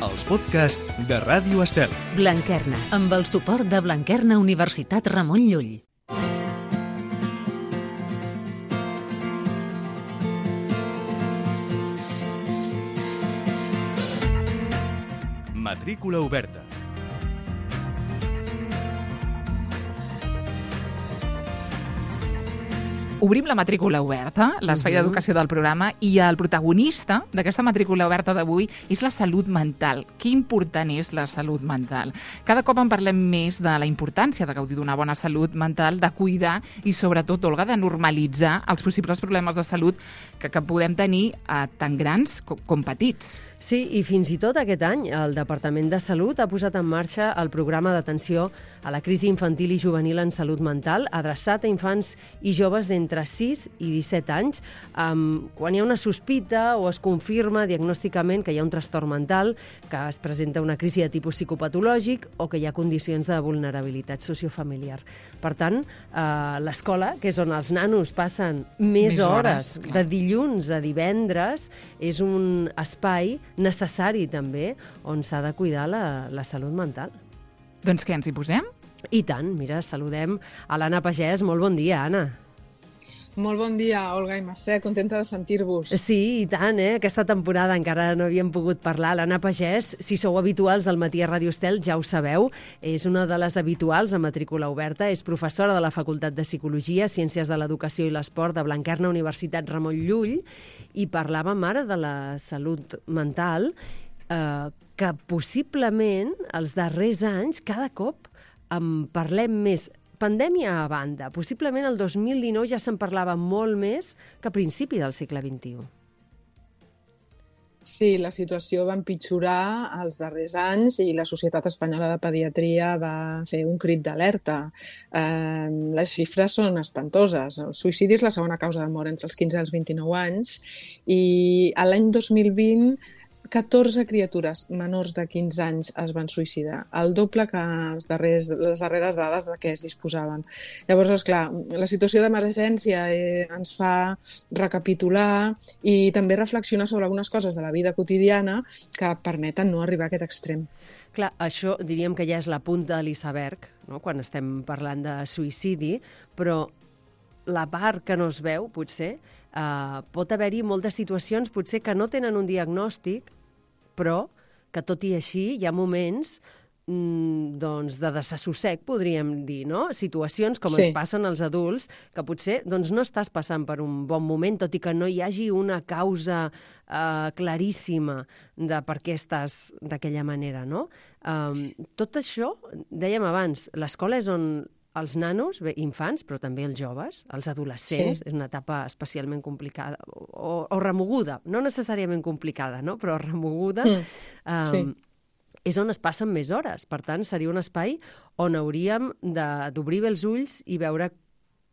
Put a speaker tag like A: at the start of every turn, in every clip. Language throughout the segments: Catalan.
A: els podcasts de Ràdio Estel.
B: Blanquerna, amb el suport de Blanquerna Universitat Ramon Llull.
A: Matrícula oberta.
C: Obrim la matrícula oberta, l'espai d'educació del programa, i el protagonista d'aquesta matrícula oberta d'avui és la salut mental. Que important és la salut mental? Cada cop en parlem més de la importància de gaudir d'una bona salut mental, de cuidar i, sobretot, Olga, de normalitzar els possibles problemes de salut que podem tenir tant grans com petits.
D: Sí, i fins i tot aquest any el Departament de Salut ha posat en marxa el programa d'atenció a la crisi infantil i juvenil en salut mental, adreçat a infants i joves d'entre 6 i 17 anys, quan hi ha una sospita o es confirma diagnòsticament que hi ha un trastorn mental, que es presenta una crisi de tipus psicopatològic o que hi ha condicions de vulnerabilitat sociofamiliar. Per tant, l'escola, que és on els nanos passen més hores, de dilluns a divendres, és un espai necessari també on s'ha de cuidar la salut mental.
C: Doncs què, ens hi posem?
D: I tant, mira, saludem a l'Anna Pagès. Molt bon dia, Anna.
E: Molt bon dia, Olga i Mercè, contenta de sentir-vos.
D: Sí, i tant, aquesta temporada encara no havíem pogut parlar. L'Anna Pagès, si sou habituals del Matí a Ràdio Estel, ja ho sabeu, és una de les habituals a matrícula oberta, és professora de la Facultat de Psicologia, Ciències de l'Educació i l'Esport de Blanquerna Universitat Ramon Llull, i parlàvem ara de la salut mental, que possiblement els darrers anys cada cop en parlem més. Pandèmia a banda, possiblement el 2019 ja se'n parlava molt més que a principi del segle XXI.
E: Sí, la situació va empitjorar els darrers anys i la Societat Espanyola de Pediatria va fer un crit d'alerta. Les xifres són espantoses. El suïcidi és la segona causa de mort entre els 15 i els 29 anys i l'any 2020 14 criatures menors de 15 anys es van suïcidar, el doble que les darreres dades de què es disposaven. Llavors, esclar, la situació d'emergència ens fa recapitular i també reflexionar sobre algunes coses de la vida quotidiana que permeten no arribar a aquest extrem.
D: Clar, això diríem que ja és la punta de l'iceberg, no?, quan estem parlant de suïcidi, però la part que no es veu, potser, pot haver-hi moltes situacions potser que no tenen un diagnòstic, però que tot i així hi ha moments doncs, de desassossec, podríem dir, no? Situacions com ens passen als adults, que potser doncs, no estàs passant per un bon moment, tot i que no hi hagi una causa claríssima de per què estàs d'aquella manera, no? Tot això, dèiem abans, l'escola és on els nanos, bé, infants, però també els joves, els adolescents, és una etapa especialment complicada, o remoguda, no necessàriament complicada, no?, però remoguda, és on es passen més hores. Per tant, seria un espai on hauríem d'obrir bé els ulls i veure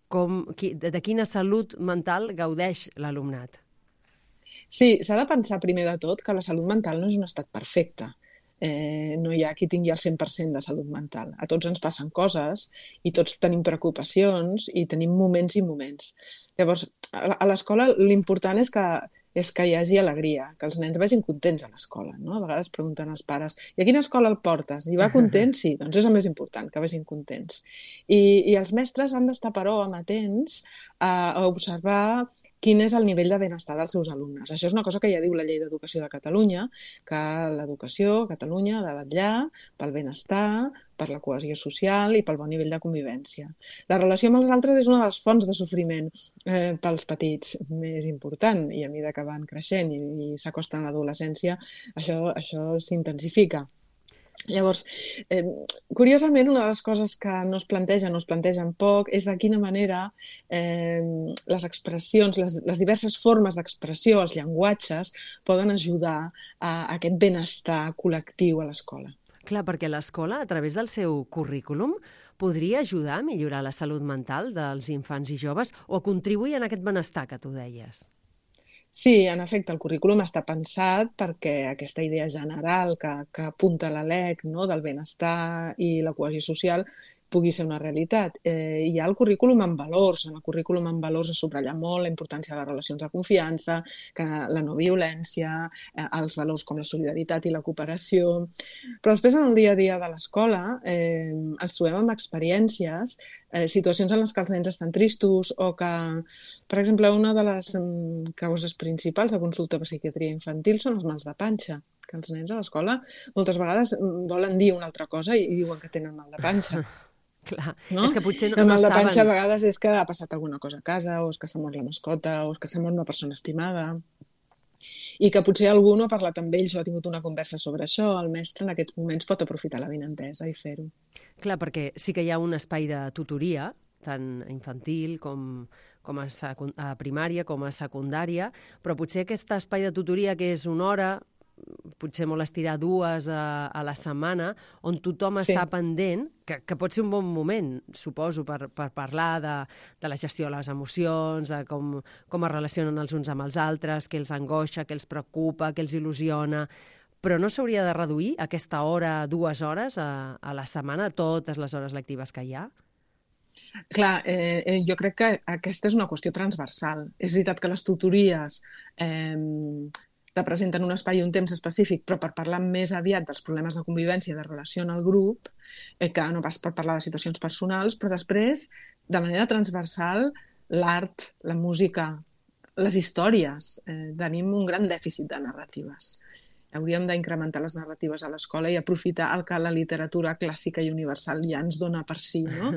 D: de quina salut mental gaudeix l'alumnat.
E: Sí, s'ha de pensar primer de tot que la salut mental no és un estat perfecte. No hi ha qui tingui el 100% de salut mental. A tots ens passen coses i tots tenim preocupacions i tenim moments i moments. Llavors, a l'escola l'important és que hi hagi alegria, que els nens vagin contents a l'escola, no? A vegades pregunten als pares, i a quina escola el portes? I va content? Sí, doncs és el més important, que vagin contents. I els mestres han d'estar, però, amatents a observar quin és el nivell de benestar dels seus alumnes. Això és una cosa que ja diu la Llei d'Educació de Catalunya, que l'educació a Catalunya ha de vetllar pel benestar, per la cohesió social i pel bon nivell de convivència. La relació amb els altres és una de les fonts de sofriment pels petits més important, i a mesura que van creixent i s'acosten a l'adolescència, això s'intensifica. Llavors, curiosament, una de les coses que no es plantegen poc, és de quina manera les expressions, les diverses formes d'expressió, els llenguatges, poden ajudar a aquest benestar col·lectiu a l'escola.
D: Clar, perquè l'escola, a través del seu currículum, podria ajudar a millorar la salut mental dels infants i joves o a contribuir en aquest benestar que tu deies.
E: Sí, en efecte, el currículum està pensat perquè aquesta idea general que apunta la LEC, no?, del benestar i la cohesió social pugui ser una realitat. Hi ha el currículum en valors. En el currículum en valors es subratlla molt la importància de les relacions de confiança, la no violència, els valors com la solidaritat i la cooperació. Però després, en el dia a dia de l'escola, ens trobem amb experiències, situacions en les que els nens estan tristos o que, per exemple, una de les causes principals de consulta per psiquiatria infantil són els mals de panxa, que els nens a l'escola moltes vegades volen dir una altra cosa i diuen que tenen mal de panxa.
D: Clar,
E: no?
D: És que potser
E: el mal de
D: saben.
E: panxa a vegades és que ha passat alguna cosa a casa, o és que s'ha mort la mascota, o és que s'ha mort una persona estimada, i que potser algú no ha parlat amb ells o ha tingut una conversa sobre això. El mestre en aquests moments pot aprofitar l'avinentesa i fer-ho.
D: Clar, perquè sí que hi ha un espai de tutoria, tant infantil com a primària, com a secundària, però potser aquest espai de tutoria que és una hora, potser molt estirar 2 a la setmana, on tothom està pendent, que pot ser un bon moment, suposo, per parlar de la gestió de les emocions, de com es relacionen els uns amb els altres, què els angoixa, què els preocupa, què els il·lusiona. Però no s'hauria de reduir aquesta hora, 2 hores a la setmana, totes les hores lectives que hi ha?
E: Clar, jo crec que aquesta és una qüestió transversal. És veritat que les tutories representen un espai i un temps específic, però per parlar més aviat dels problemes de convivència i de relació en el grup, que no pas per parlar de situacions personals, però després, de manera transversal, l'art, la música, les històries. Tenim un gran dèficit de narratives. Hauríem d'incrementar les narratives a l'escola i aprofitar el que la literatura clàssica i universal ja ens dona per si, no?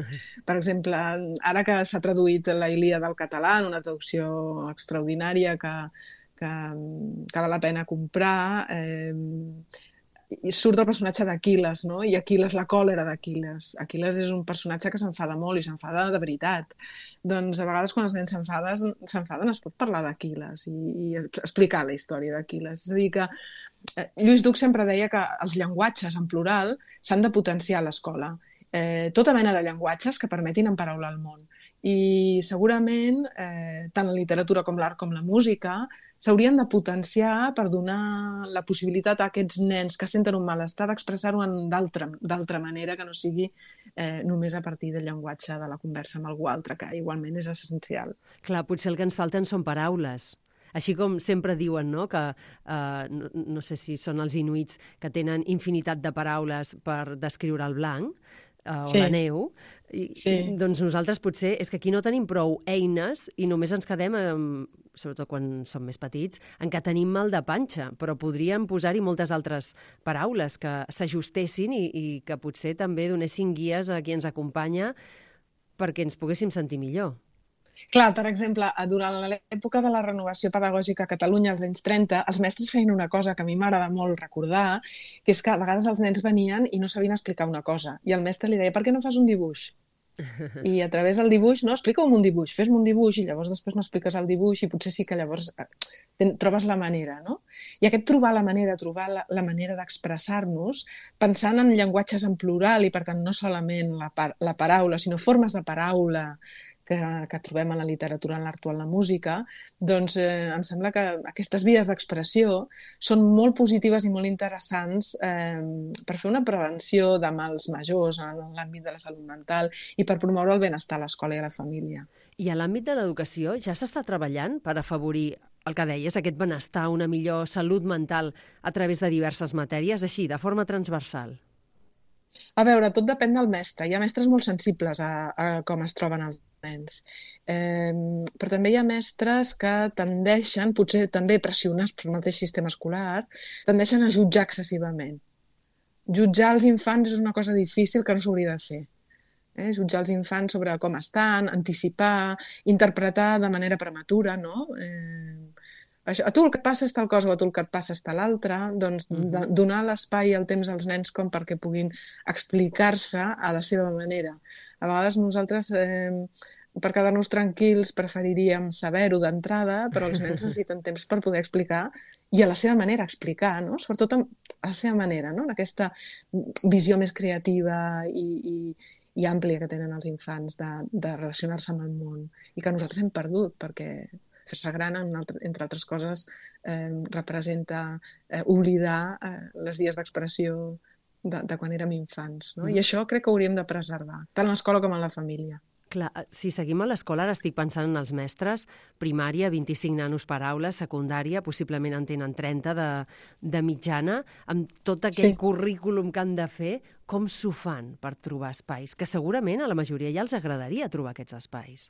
E: Per exemple, ara que s'ha traduït la Ilíada al català, en una traducció extraordinària que val la pena comprar, i surt el personatge d'Aquil·les, no? I Aquil·les, la còlera d'Aquil·les. Aquil·les és un personatge que s'enfada molt i s'enfada de veritat. Doncs a vegades quan els nens s'enfaden es pot parlar d'Aquil·les i explicar la història d'Aquil·les. És a dir que Lluís Duc sempre deia que els llenguatges en plural s'han de potenciar a l'escola. Tota mena de llenguatges que permetin emparaular el món. I segurament tant la literatura com l'art com la música s'haurien de potenciar per donar la possibilitat a aquests nens que senten un malestar d'expressar-ho d'altra manera, que no sigui només a partir del llenguatge de la conversa amb algú altre, que igualment és essencial.
D: Clar, potser el que ens falten són paraules. Així com sempre diuen, no?, que no sé si són els inuits que tenen infinitat de paraules per descriure el blanc, o la neu, doncs nosaltres potser és que aquí no tenim prou eines i només ens quedem, sobretot quan som més petits, en què tenim mal de panxa, però podríem posar-hi moltes altres paraules que s'ajustessin i que potser també donessin guies a qui ens acompanya perquè ens poguéssim sentir millor.
E: Clar, per exemple, durant l'època de la renovació pedagògica a Catalunya, als anys 30, els mestres feien una cosa que a mi m'agrada molt recordar, que és que a vegades els nens venien i no sabien explicar una cosa. I el mestre li deia, per què no fas un dibuix? I a través del dibuix, no, explica-m'ho un dibuix, fes-me un dibuix i llavors després m'expliques el dibuix i potser sí que llavors trobes la manera, no? I aquest trobar la manera d'expressar-nos, pensant en llenguatges en plural i per tant no solament la paraula, sinó formes de paraula que trobem en la literatura, en l'art o en la música, doncs em sembla que aquestes vies d'expressió són molt positives i molt interessants per fer una prevenció de mals majors en l'àmbit de la salut mental i per promoure el benestar a l'escola i a la família.
D: I a l'àmbit de l'educació ja s'està treballant per afavorir el que deies, aquest benestar, una millor salut mental a través de diverses matèries, així, de forma transversal?
E: A veure, tot depèn del mestre. Hi ha mestres molt sensibles a com es troben els nens. Però també hi ha mestres que tendeixen, potser també pressionats pel mateix sistema escolar, tendeixen a jutjar excessivament. Jutjar els infants és una cosa difícil que no s'hauria de fer. Jutjar els infants sobre com estan, anticipar, interpretar de manera prematura, no? A tu el que et passa és tal cosa o a tu el que et passa és tal altra, doncs donar l'espai i el temps als nens com perquè puguin explicar-se a la seva manera. A vegades nosaltres, per quedar-nos tranquils, preferiríem saber-ho d'entrada, però els nens necessiten temps per poder explicar i a la seva manera explicar, no? Sobretot a la seva manera, no? En aquesta visió més creativa i àmplia que tenen els infants de relacionar-se amb el món i que nosaltres hem perdut perquè fer-se gran, entre altres coses, representa oblidar les vies d'expressió de quan érem infants, no? I això crec que hauríem de preservar, tant a l'escola com a la família.
D: Clar, si seguim a l'escola, ara estic pensant en els mestres, primària, 25 nanos per aula, secundària, possiblement en tenen 30 de mitjana, amb tot aquell currículum que han de fer, com s'ho fan per trobar espais? Que segurament a la majoria ja els agradaria trobar aquests espais.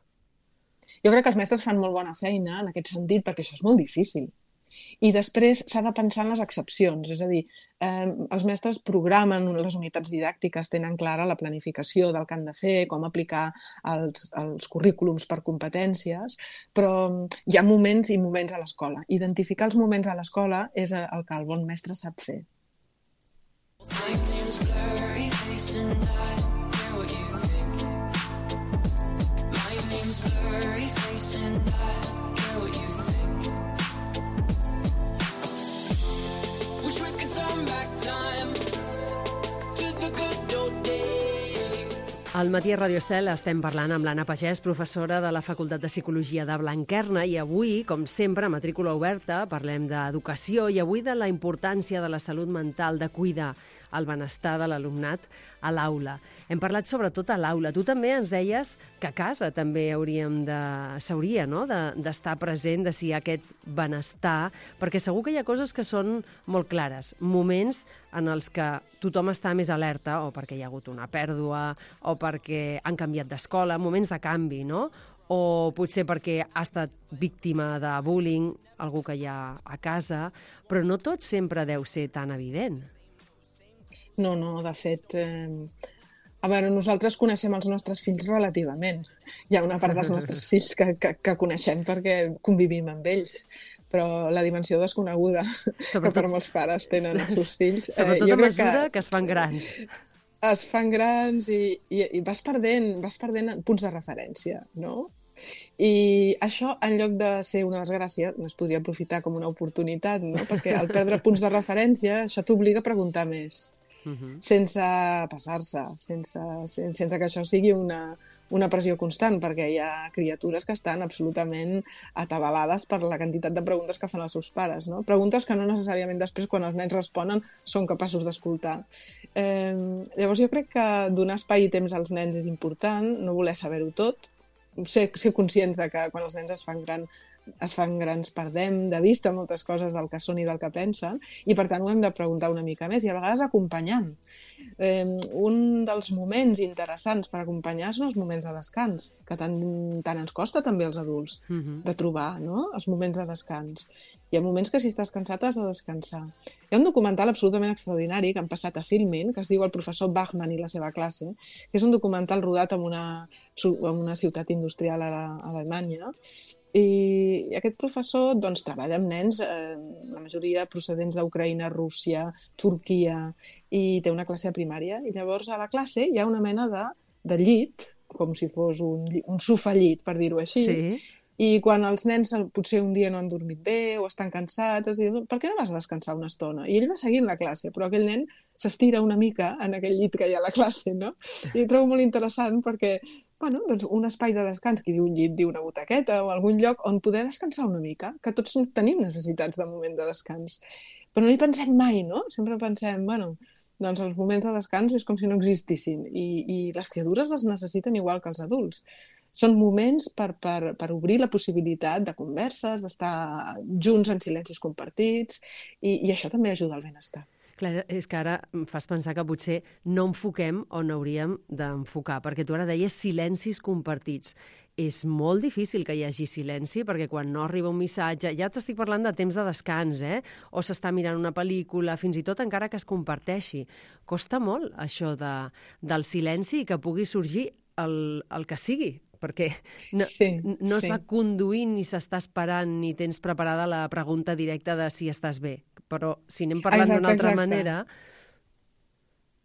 E: Jo crec que els mestres fan molt bona feina en aquest sentit, perquè això és molt difícil. I després s'ha de pensar en les excepcions, és a dir, els mestres programen les unitats didàctiques, tenen clara la planificació del que han de fer, com aplicar els currículums per competències, però hi ha moments i moments a l'escola. Identificar els moments a l'escola és el que el bon mestre sap fer.
D: Al matí a Radio Estel estem parlant amb l'Anna Pagès, professora de la Facultat de Psicologia de Blanquerna, i avui, com sempre, a Matrícula Oberta, parlem d'educació i avui de la importància de la salut mental, de cuidar el benestar de l'alumnat a l'aula. Hem parlat sobretot a l'aula. Tu també ens deies que a casa també s'hauria d'estar present, de si hi ha aquest benestar, perquè segur que hi ha coses que són molt clares, moments en els que tothom està més alerta, o perquè hi ha hagut una pèrdua, o perquè han canviat d'escola, moments de canvi, no? O potser perquè ha estat víctima de bullying, algú que hi ha a casa, però no tot sempre deu ser tan evident.
E: No, de fet, a veure, nosaltres coneixem els nostres fills relativament. Hi ha una part dels nostres fills que coneixem perquè convivim amb ells, però la dimensió desconeguda que per molts pares tenen els seus fills...
D: Sobretot a mesura que es fan grans.
E: Es fan grans i vas perdent punts de referència, no? I això, en lloc de ser una desgràcia, es podria aprofitar com una oportunitat, no? Perquè al perdre punts de referència, això t'obliga a preguntar més. Sense passar-se, sense que això sigui una pressió constant, perquè hi ha criatures que estan absolutament atabalades per la quantitat de preguntes que fan els seus pares, no? Preguntes que no necessàriament després, quan els nens responen, són capaços d'escoltar. Llavors jo crec que donar espai i temps als nens és important, no voler saber-ho tot, ser conscients de que quan els nens es fan grans perdem de vista moltes coses del que són i del que pensen, i per tant ho hem de preguntar una mica més, i a vegades acompanyant. Un dels moments interessants per acompanyar són els moments de descans, que tant ens costa també als adults de trobar, no? Els moments de descans. Hi ha moments que si estàs cansat has de descansar. Hi ha un documental absolutament extraordinari que han passat a Filmin, que es diu El professor Bachmann i la seva classe, que és un documental rodat en una ciutat industrial a Alemanya. I aquest professor treballa amb nens, la majoria procedents d'Ucraïna, Rússia, Turquia, i té una classe de primària. I llavors a la classe hi ha una mena de llit, com si fos un sofallit, per dir-ho així. Sí. I quan els nens potser un dia no han dormit bé o estan cansats, es diu, per què no vas a descansar una estona? I ell va seguint la classe, però aquell nen s'estira una mica en aquell llit que hi ha a la classe, no? I ho trobo molt interessant perquè un espai de descans, qui diu un llit, diu una butaqueta o algun lloc on poder descansar una mica, que tots tenim necessitats de moment de descans. Però no hi pensem mai, no? Sempre pensem, els moments de descans és com si no existissin i les criatures les necessiten igual que els adults. Són moments per obrir la possibilitat de converses, d'estar junts en silencis compartits i això també ajuda al benestar.
D: Clar, és que ara em fas pensar que potser no enfoquem on hauríem d'enfocar, perquè tu ara deies silencis compartits. És molt difícil que hi hagi silenci, perquè quan no arriba un missatge, ja t'estic parlant de temps de descans, o s'està mirant una pel·lícula, fins i tot encara que es comparteixi. Costa molt això del silenci i que pugui sorgir el que sigui, perquè no es va conduint ni s'està esperant ni tens preparada la pregunta directa de si estàs bé. Però si anem parlant d'una altra manera...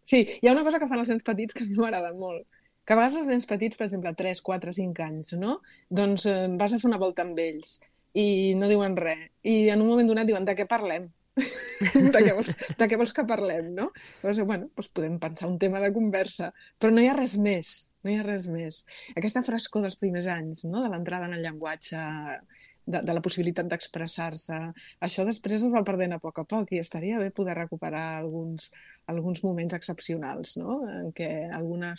E: Sí, hi ha una cosa que fan els nens petits que a mi m'agrada molt. Que a vegades els nens petits, per exemple, 3, 4, 5 anys, no? Doncs vas a fer una volta amb ells i no diuen res. I en un moment donat diuen, de què parlem? de què vols que parlem, no? Llavors, podem pensar un tema de conversa, però no hi ha res més. No hi ha res més. Aquesta frescor dels primers anys, no? De l'entrada en el llenguatge de la possibilitat d'expressar-se. Això després es va perdent a poc i estaria bé poder recuperar alguns moments excepcionals, no? En què una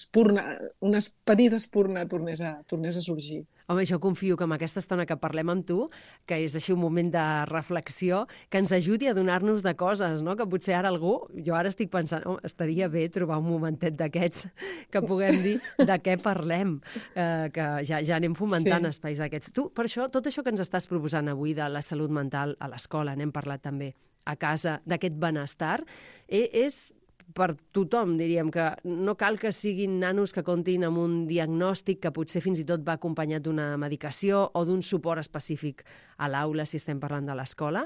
E: petita espurna tornés a sorgir.
D: Home, jo confio que amb aquesta estona que parlem amb tu, que és així un moment de reflexió, que ens ajudi a donar-nos de coses, no? Que potser ara jo ara estic pensant, estaria bé trobar un momentet d'aquests que puguem dir de què parlem, que ja anem fomentant espais d'aquests. Tu, per això, tot això que ens estàs proposant avui de la salut mental a l'escola, n'hem parlat també a casa, d'aquest benestar, és per tothom, diríem, que no cal que siguin nanos que comptin amb un diagnòstic que potser fins i tot va acompanyat d'una medicació o d'un suport específic a l'aula, si estem parlant de l'escola.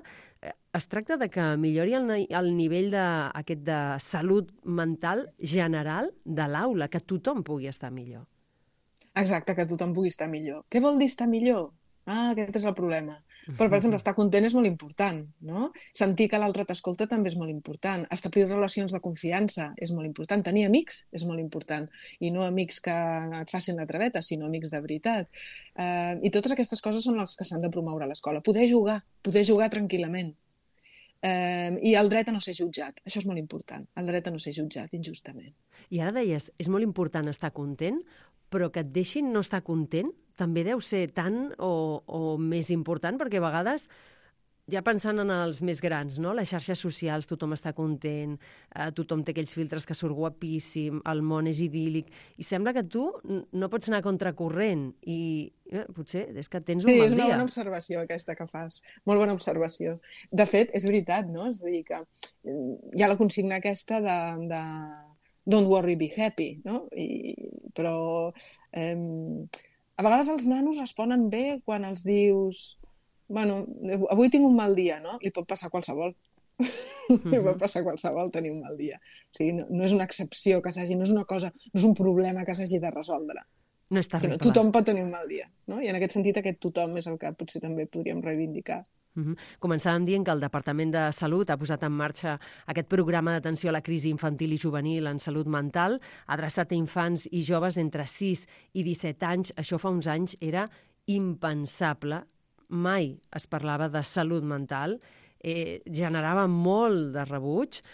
D: Es tracta de que millori el nivell de salut mental general de l'aula, que tothom pugui estar millor.
E: Exacte, que tothom pugui estar millor. Què vol dir estar millor? Aquest és el problema. Però, per exemple, estar content és molt important, no? Sentir que l'altre t'escolta també és molt important. Establir relacions de confiança és molt important. Tenir amics és molt important. I no amics que et facin la traveta, sinó amics de veritat. I totes aquestes coses són les que s'han de promoure a l'escola. Poder jugar tranquil·lament. I el dret a no ser jutjat. Això és molt important. El dret a no ser jutjat injustament.
D: I ara deies, és molt important estar content, però que et deixin no estar content també deu ser tan o més important, perquè a vegades, ja pensant en els més grans, no? Les xarxes socials, tothom està content, tothom té aquells filtres que surt guapíssim, el món és idíl·lic, i sembla que tu no pots anar a contracorrent, i potser és que tens un mal dia.
E: Sí, és una bona observació aquesta que fas, molt bona observació. De fet, és veritat, no? És a dir, que hi ha la consigna aquesta de don't worry, be happy, no? Però a vegades els nanos responen bé quan els dius avui tinc un mal dia, no? Li pot passar a qualsevol. Li pot passar a qualsevol tenir un mal dia. O sigui, no és una excepció que s'hagi, no és una cosa, no és un problema que s'hagi de resoldre.
D: No és terrible.
E: Tothom pot tenir un mal dia, no? I en aquest sentit aquest tothom és el que potser també podríem reivindicar.
D: Començàvem dient que el Departament de Salut ha posat en marxa aquest programa d'atenció a la crisi infantil i juvenil en salut mental, adreçat a infants i joves entre 6 i 17 anys. Això fa uns anys era impensable. Mai es parlava de salut mental. Generava molt de rebuig.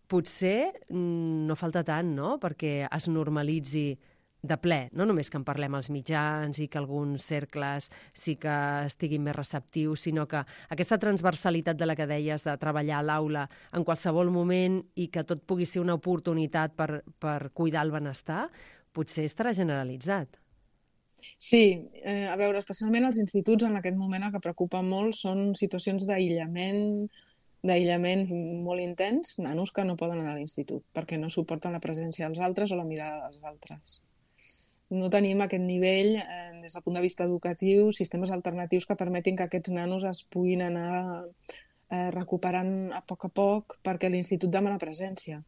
D: Potser no falta tant, no?, perquè es normalitzi de ple, no només que en parlem als mitjans i que alguns cercles sí que estiguin més receptius, sinó que aquesta transversalitat de la que deies de treballar a l'aula en qualsevol moment i que tot pugui ser una oportunitat per cuidar el benestar, potser estarà generalitzat.
E: Sí, a veure, especialment als instituts en aquest moment el que preocupa molt són situacions d'aïllament molt intens, nanos que no poden anar a l'institut perquè no suporten la presència dels altres o la mirada dels altres. No tenim aquest nivell, des del punt de vista educatiu, sistemes alternatius que permetin que aquests nanos es puguin anar recuperant a poc perquè l'institut demana presència.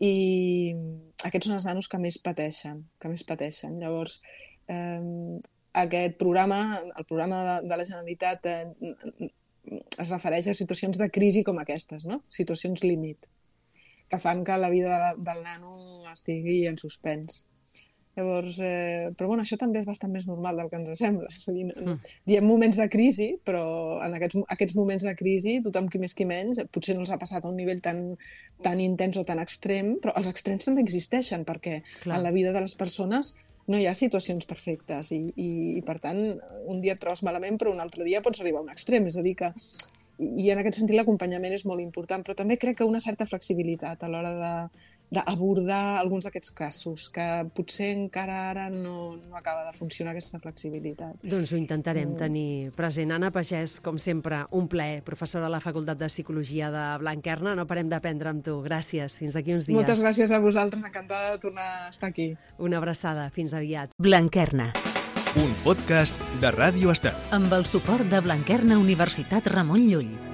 E: I aquests són els nanos que més pateixen. Llavors, aquest programa, el programa de la Generalitat, es refereix a situacions de crisi com aquestes, no? Situacions límit, que fan que la vida del nano estigui en suspens. Llavors, però això també és bastant més normal del que ens sembla. És a dir, diem moments de crisi, però en aquests moments de crisi, tothom qui més qui menys, potser no els ha passat a un nivell tan intens o tan extrem, però els extrems també existeixen, perquè en la vida de les persones no hi ha situacions perfectes i per tant, un dia et trobes malament, però un altre dia pots arribar a un extrem. És a dir que, i en aquest sentit l'acompanyament és molt important, però també crec que una certa flexibilitat a l'hora d'abordar alguns d'aquests casos, que potser encara ara no acaba de funcionar aquesta flexibilitat.
D: Doncs ho intentarem tenir present. Anna Pagès, com sempre, un plaer, professora de la Facultat de Psicologia de Blanquerna. No parem d'aprendre amb tu. Gràcies. Fins d'aquí uns dies.
E: Moltes gràcies a vosaltres. Encantada de tornar a estar aquí.
D: Una abraçada. Fins aviat.
B: Blanquerna.
A: Un podcast de Ràdio Estel.
B: Amb el suport de Blanquerna Universitat Ramon Llull.